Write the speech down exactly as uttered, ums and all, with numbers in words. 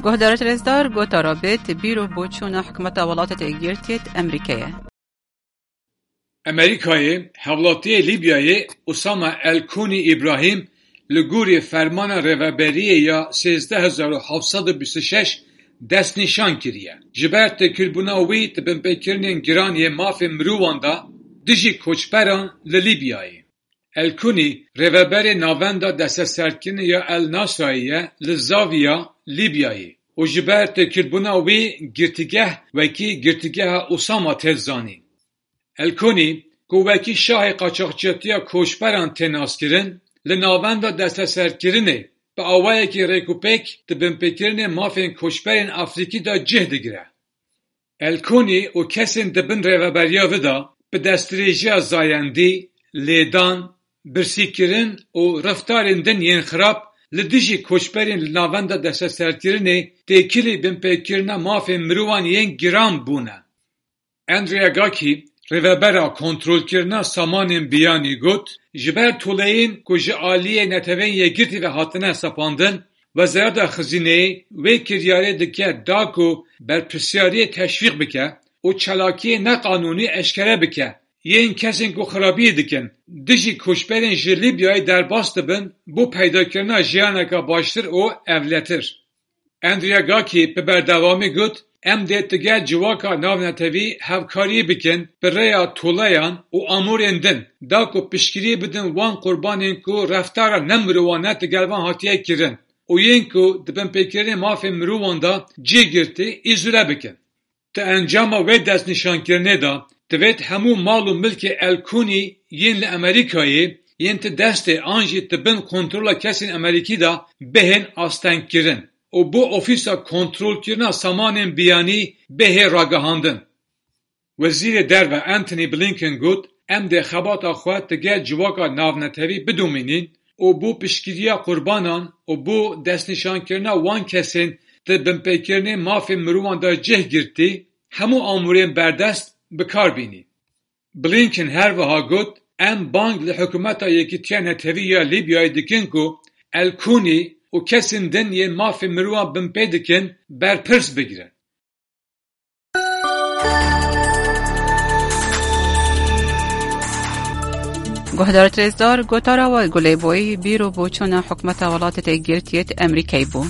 Guhdarêt rêzdar, gotara bêt bîr û boçûna hikûmeta Welatêt Êkgirtiyêt Emerîkeyê. Emerîkayê hevlatiyê Lîbyayê Usama El Kûnî Îbrahîm li gorî fermana rêveberiyê ya sêzdeh hezar û heft sed û bîst û şeş destnîşan kiriye. Ji ber têkilbûna wî di binpêkirinên giran yê mafên mirovan de dijî koçberan li Lîbyayê. El Kûnî rêveberê Navenda Desteserkirinê ya El Nasrayê ye li Zaviya Lîbyayê û ji ber têkilbûna wî girtîgeh wekî girtîgeha Usama tê zanîn. El Kûnî, ku wekî şahê qaçaxçiyatiya koçberan tê naskirin, li Navenda Desteserkirinê bi awayekî rêkûpêk di binpêkirinê mafên koçberên Afrîkî de cih digire. El Kûnî û kesên di bin rêveberiya wî de bi destdirêjiya zayendî, lêdan, birsîkirin û reftarên din yên xirab li dijî koçberên li Navenda Desteserkirinê têkilî binpêkirina mafên mirovan yên giran bûne. Andrea Gaki, rêvebera kontrolkirina samanên biyanî got, ji ber toleyên ku ji aliyê Neteweyên Yekgirtî ve hatine sepandin, Wezareta Xizîneyê wê kiryarê dike da ku berpirsyariyê teşwîq bike û çalakiyê neqanûnî eşkere bike, yên kesên ku xirabiyê dikin, dijî koçberên ji Lîbyayê derbas dibin, bo peydakirina jiyaneke baştir û ewletir. Andrea Gaki bi berdewamî got, em dê digel civaka navnetewî hevkariyê bikin bi rêya toleyan û amûrên din, da ku piştgiriyê bidin wan qurbanên ku reftara nemirovane digel wan hatiye kirin û yên ku di binpêkirinê mafên mirovan de cih girtî, îzole bikin. Di encama wê destnîşankirinê de divêt hemû mal û milkê El Kûnî yên li Amerîkayê yên di destê an jî di bin kontrola kesên Amerîkî de bihên astengkirin û bo Ofîsa Kontrolkirina Samanên Biyanî bihê ragihandin. Wezîrê Derve Antony Blinken got, em dê xebata xwe digel civaka navnetewî bidomînîn û bo piştgiriya qurbanan û bo destnîşankirina wan kesên di binpêkirinê mafên mirovan de cih girtî, hemû amûrên berdest bi kar bînî. Blinken her wiha got, em bang li Hikûmeta Yekîtiya Netewî ya Lîbyayê dikin ku El Kûnî û kesên din yên mafê mirovan binpê dikin, berpirs bigirin. Guhdarêt rêzdar, gotara we Gulê Boyî bîr û boçûna hikûmeta Welatêt Êkgirtiyêt Emerîkeyê bû.